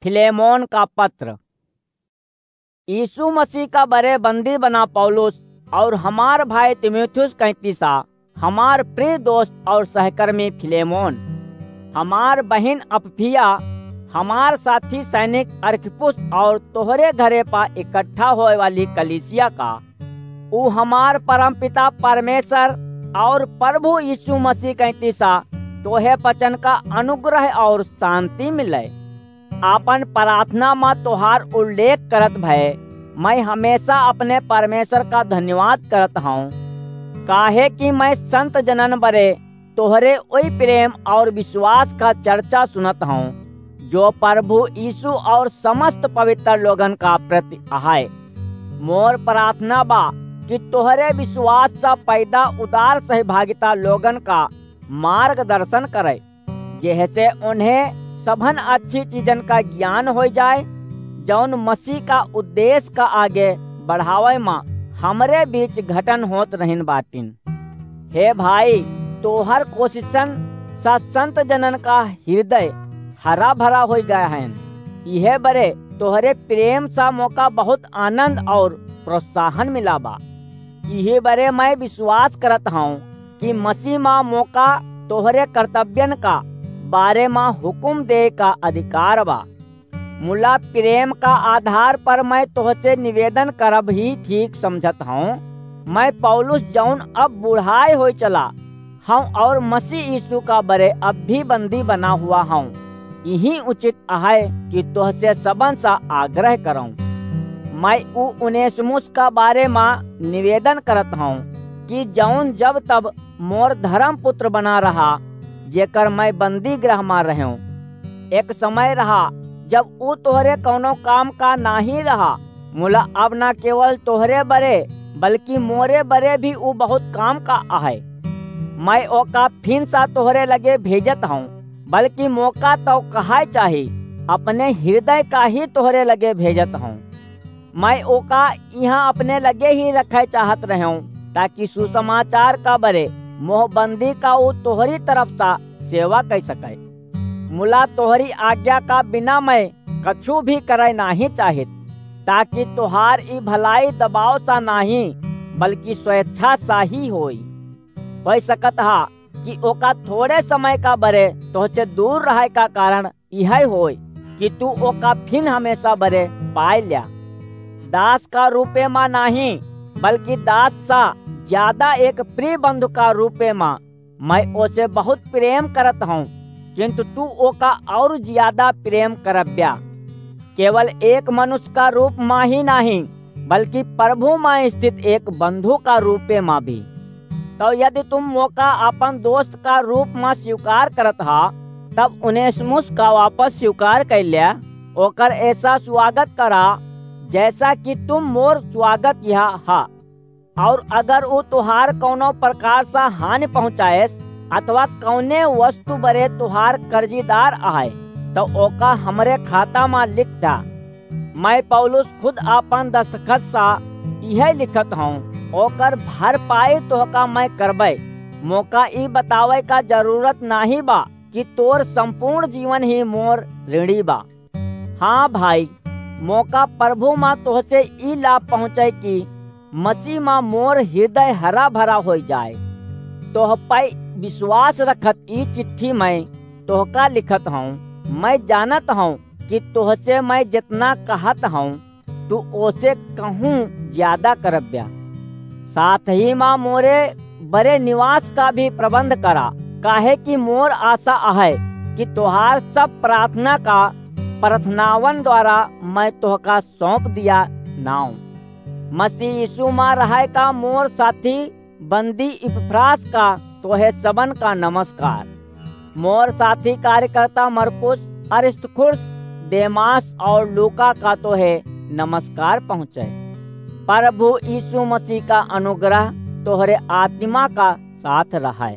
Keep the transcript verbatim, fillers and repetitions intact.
फिलेमोन का पत्र। यीशु मसीह का बरे बंदी बना पौलुस और हमार भाई तीमुथियुस कैंतीसा, हमार प्रिय दोस्त और सहकर्मी फिलेमोन, हमार बहिन अप्फिया, हमार साथी सैनिक अर्खिप्पुस और तोहरे घरे पा इकट्ठा होए वाली कलीसिया का, ऊ हमार परमपिता परमेश्वर और प्रभु यीशु मसीह कैंतीसा तोहे वचन का अनुग्रह और शांति मिले। आपन प्रार्थना मा तोहार उल्लेख करत भय मैं हमेशा अपने परमेश्वर का धन्यवाद करत हौं, काहे कि मैं संत जनन बरे तोहरे ओई प्रेम और विश्वास का चर्चा सुनत हौं, जो प्रभु यीशु और समस्त पवित्र लोगन का प्रति अहै। मोर प्रार्थना बा कि तोहरे विश्वास सा पैदा उदार सहभागिता लोगन का मार्गदर्शन करे, जेहसे उन्हें सभन अच्छी चीजन का ज्ञान हो जाए, जौन मसीह का उद्देश्य का आगे बढ़ावे मा हमरे बीच घटन होत रहिन बाटिन। हे भाई, तोहर कोशिशन सा संत जनन का हृदय हरा भरा हो गया है। इहे बरे तोहरे प्रेम सा मोका बहुत आनंद और प्रोत्साहन मिला बा। इहे बरे मैं विश्वास करत हौं कि मसीह मा मोका तोहरे कर्तव्यन का बारे मा हुकुम दे का अधिकार बा। मुला प्रेम का आधार पर मैं तोहसे निवेदन करब ही ठीक समझत हौं। मैं पौलुस, जौन अब बुढ़ाए होए चला हौं और मसीह यीशु का बरे अब भी बंदी बना हुआ हौं, यही उचित अहै कि तोहसे सबन सा आग्रह करौं। मैं ऊ उनेसिमुस का बारे मा निवेदन करत हौं कि जौन जब तब मोर धर्म पुत्र बना रहा, जेकर मैं बंदी गृह मा रहूं। एक समय रहा, जब ऊ तोहरे कौनो काम का नाही रहा, मुला अब ना केवल तोहरे बरे, बल्कि मोरे बरे भी ऊ बहुत काम का अहै। मैं ओका फिन सा तोहरे लगे भेजत हौं, बल्कि मोका तो कहाय चाही, अपने हृदय का ही तोहरे लगे भेजत हौं। मैं ओका इहाँ अपने लगे ही रखे चाहत रहूं, ताकि सुसमाचार का बरे मोह बंदी का ऊ तोहरी तरफ सा सेवा कर सके। मुला तोहरी आज्ञा का बिना मैं कछु भी करे नाही चाहित, ताकि तोहार ई भलाई दबाव सा नाही, बल्कि स्वेच्छा सा ही होई। हो सकत हा कि ओका थोड़े समय का बरे तोहसे दूर रहे का कारण इहै होय कि तू ओका फिन हमेशा बरे पाए ल्या। दास का रूपे मा नाही, बल्कि दास सा ज्यादा एक प्रिय बंधु का रूपे मा मैं ओसे बहुत प्रेम करत हौं, किंतु तू ओका और ज्यादा प्रेम करब्या। केवल एक मनुष्य का रूप मा ही नाही, बल्कि प्रभु मा स्थित एक बंधु का रूपे मा भी। तो यदि तुम मोका अपन दोस्त का रूप मा स्वीकार करत हा, तब उनेसिमुस का वापस स्वीकार कर ल्या, ओकर ऐसा स्वागत करा, जैसा कि तुम मोर स्वागत यहाँ हा। और अगर ऊ तुहार कौनो प्रकार सा हानि पहुँचाएस अथवा कौने वस्तु बरे तुहार कर्जीदार आए, तो ओका हमरे खाता मा लिख दा। मैं पौलुस खुद आपन दस्तखत सा इहे लिखत हौं, ओकर भरपाई तोहका मैं करबै। मोका ई बतावे का जरूरत नाही बा कि तोर संपूर्ण जीवन ही मोर ऋणी बा। हाँ भाई, मोका प्रभु मा तोहसे ई लाभ पहुँचे कि मसीह मा मोर हृदय हरा भरा होई जाए। तोह पै विश्वास रखत ई चिट्ठी मैं तोहका लिखत हौं। मैं जानत हौं कि तोहसे मैं जितना कहत हौं, तू ओसे कहूँ ज्यादा करब्या। साथ ही मा मोरे बरे निवास का भी प्रबंध करा, काहे कि मोर आशा अहै कि तोहार सब प्रार्थना का प्रार्थनावन द्वारा मैं तोहका सौंप दिया नाव। मसीह यीशु मा रहै का मोर साथी बंदी इपफ्रास का तोहे सबन का नमस्कार। मोर साथी कार्यकर्ता मरकुस, अरिस्तर्खुस, देमास और लूका का तोहे नमस्कार पहुँचे। प्रभु यीशु मसीह का अनुग्रह तोहरे आत्मा का साथ रहै।